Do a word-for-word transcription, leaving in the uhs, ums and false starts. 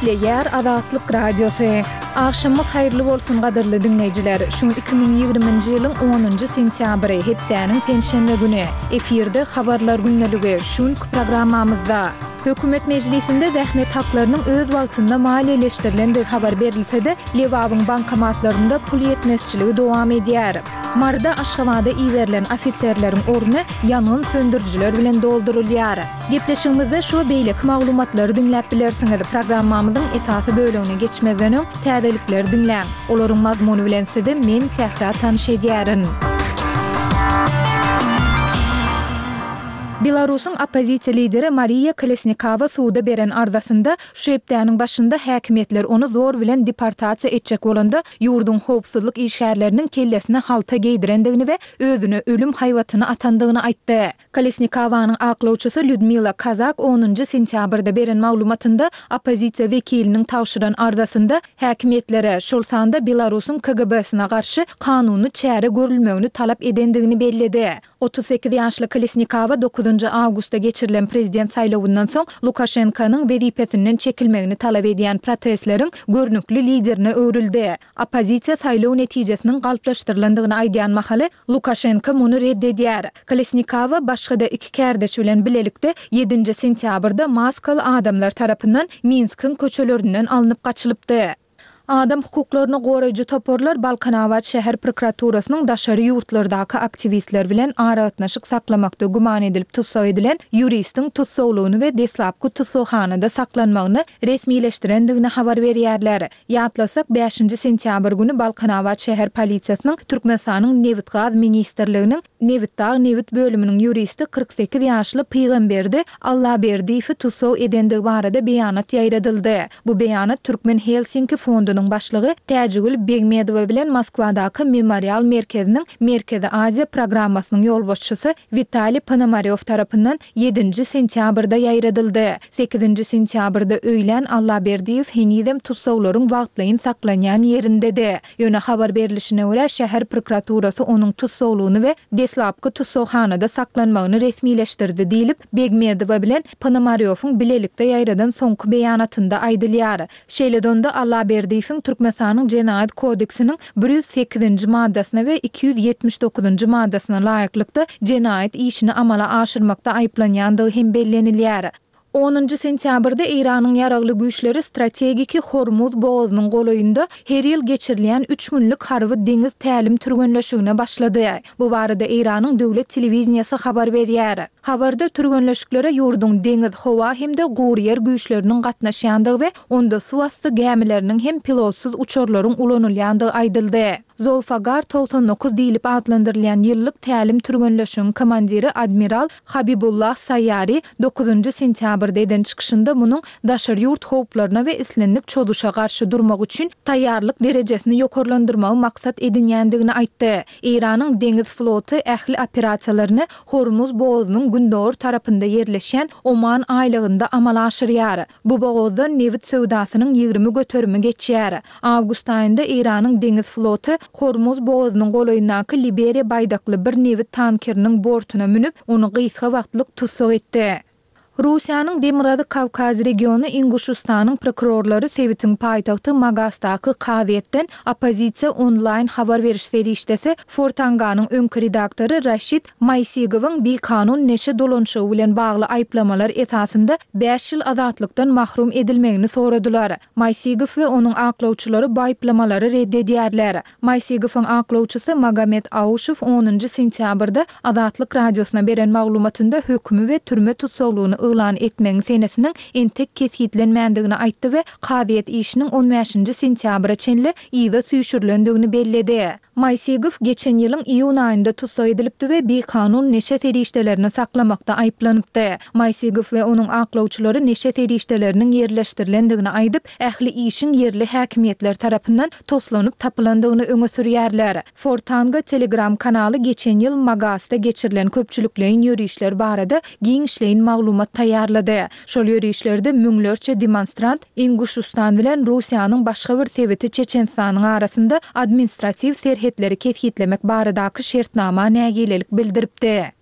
Gepleýär Azatlyk Radiosy. Agşamyňyz haýyrly bolsun gadyrly diňleýjiler. Şu gün iki müň ýigriminji ýylyň onunjy sentýabry, hepdäniň penşenbe güni. Efirde Habarlar gündeligi. Şu günki programmamyzda. Hökümet mejlisinde zähmet haklarynyň öz wagtynda maliýeleşdirilendigi habar berilse-de, Lebabyň bankomatlarynda pul ýetmezçiligi dowam edýär. Maryda Aşgabada iberilen ofiserleriň orny ýangyn söndürijiler bilen doldurylýar. Gepleşigimizde şu we beýleki maglumatlary diňläp bilersiňiz. Programmamyzyň esasy bölegine geçmezden öň, täzelikleri diňläň. Olaryň mazmuny bilen sizi men, Sähra tanyş edýärin. Belarusyň oppozisiýa lideri Mariýa Kolesnikawa suda beren arzasynda, şu hepdäniň başynda häkimiýetler ony zor bilen deportasiýa etjek bolanda, ýurduň howpsuzlyk işgärleriniň kellesine halta geýdirendigini we özüne ölüm haýbatyny atandygyny aýtdy. Kolesnikawanyň aklawçysy Lýudmila Kazak onunjy sentýabrda beren maglumatynda oppozisiýa wekiliniň tabşyran arzasynda häkimiýetlere, şol sanda Belarusyň K G B-sine garşy kanuny çäre görülmegini talap edendigini belledi. Otuz sekiz ýaşly Kolesnikawa dokuzynjy awgustda geçirilen prezident saýlawyndan soň Lukaşenkonyň wezipesinden çekilmegini talap edýän protestleriň görnükli liderine öwrüldi. Oppozisiýa saýlaw netijesiniň galplaşdyrylandygyny aýdýan mahaly, Lukaşenko muny red edýär. Kolesnikawa başga-da iki kärdeşi bilen bilelikde ýedinji sentýabrda maskaly adamlar tarapyndan Minskiň köçelerinden alnyp gaçylypdy. Adam hukuklaryny goraýjy toparlar Balkanabat şäher prokuraturasynyň daşary ýurtlardaky aktiwistler bilen aragatnaşyk saklamakda güman edilip tussag edilen ýuristiň tussaglygyny we deslapky tussaghanada saklanmagyny resmileşdirendigini habar berýärler. Ýatlasak, bäşinji sentýabr güni Balkanabat şäher polisiýasynyň Türkmenistanyň Nebitgaz ministrliginiň Nebitdag nebit bölüminiň ýuristi kyrk sekiz ýaşly Pygamberdi Allaberdiýewi tussag edendigi barada beýanat ýaýradyldy. Bu beýanat Türkmen Helsinki fondunyň başlygy Täjigül Begmedowa bilen Moskwadaky Memorial merkeziniň Merkezi Aziýa programmasynyň ýolbaşçysy Witaliý Ponomarýow tarapyndan ýedinji sentýabrda ýaýradyldy. Sekizinji sentýabrda öýlän Allaberdiýew henizem tussaglaryň wagtlaýyn saklanýan ýerindedi. Ýöne habar berlişine görä, şäher prokuraturasy onuň tussaglygyny we deslapky tussaghanada saklanmagyny resmileşdirdi diýlip, Begmedowa bilen Ponomarýowyň bilelikde ýaýradan soňky beýanatynda aýdylýar. Şeýle-de onda Allaberdiýewiň Türkmenistanyň Jenaýat kodeksiniň bir ýüz sekizinji maddasyna we iki ýüz ýetmiş dokuzynjy maddasyna laýyklykda jenaýat işini amala aşyrmakda aýyplanýandygy hem bellenilýär. Onunjy sentýabrda Eýranyň ýaragly güýçleri strategiki Hormuz bogazynyň golaýynda her ýyl geçirilýän üç günlük harby deňiz tälim türgenleşigine başlady. Bu barada Eýranyň döwlet telewideniýesi habar berýär. Habarda türgenleşiklere ýurduň deňiz, howa hem-de gury ýer güýçleriniň gatnaşýandygy we onda suwasty gämileriniň hem pilotsyz uçarlaryň ulanylýandygy aýdyldy. Zolfagar togsan dokuz diýlip atlandyrylýan ýyllyk tälim türgenleşigiň komandiri admiral Habibullah Saýýari dokuzynjy sentýabrda eden çykyşynda munuň daşary ýurt howplaryna we islendik çozuşa garşy durmak üçin taýýarlyk derejesini ýokarlandyrmagy maksat edinýändigini aýtdy. Eýranyň deňiz floty ähli operasiýalaryny Hormuz bogazynyň gündogar tarapynda ýerleşýän Oman aýlagynda amala aşyrýar. Bu bogazdan nebit söwdasynyň ýigrimi göterimi geçýär. Awgust aýynda Eýranyň deňiz floty Hormuz bogazynyň golaýyndaky Liberiýa baýdakly bir nebit tankeriniň bortuna münüp, ony gysga wagtlyk tussag etdi. Russiýanyň Demirgazyk Kawkaz regiony Inguşystanyň prokurorlary sebitiň paýtagty Magasdaky kazyýetden oppozisiýa onlaýn habar beriş serişdesi Fortanganyň öňki redaktory Raşid Maýsigowyň bikanun neşe dolanyşygy bilen bagly aýyplamalar esasynda bäş ýyl azatlykdan mahrum edilmegini soradylar. Maýsigow we onuň aklawçylary bu aýyplamalary red edýärler. Maýsigowyň aklawçysy Magomed Auşew onunjy sentýabrda Azatlyk Radiosyna beren maglumatynda hökümi we türme tussaglygyny yglan etmegiň senesiniň entek kesgitlenmändigini aýtdy we kazyýet işiniň on bäşinji sentýabra çenli yza süýşürilendigini belledi. Maýsigow geçen ýylyň iýun aýynda tussag edilipdi we bikanun neşe serişdelerini saklamakda aýyplanypdy. Maýsigow we onuň aklawçylary neşe serişdeleriniň ýerleşdirilendigini aýdyp, ähli işiň ýerli häkimiýetler tarapyndan toslanyp tapylandygyny öňe sürýärler. Fortanga Telegram kanaly geçen ýyl Magasda geçirilen köpçülikleýin ýörişler barada giňişleýin maglumat taýýarlady. Şol ýörişlerde müňlerçe demonstrant Inguşystan bilen Russiýanyň başga bir sebiti Çeçenistanyň arasynda administratiw serhetleri kesgitlemek baradaky şertnama nägilelik bildiripdi.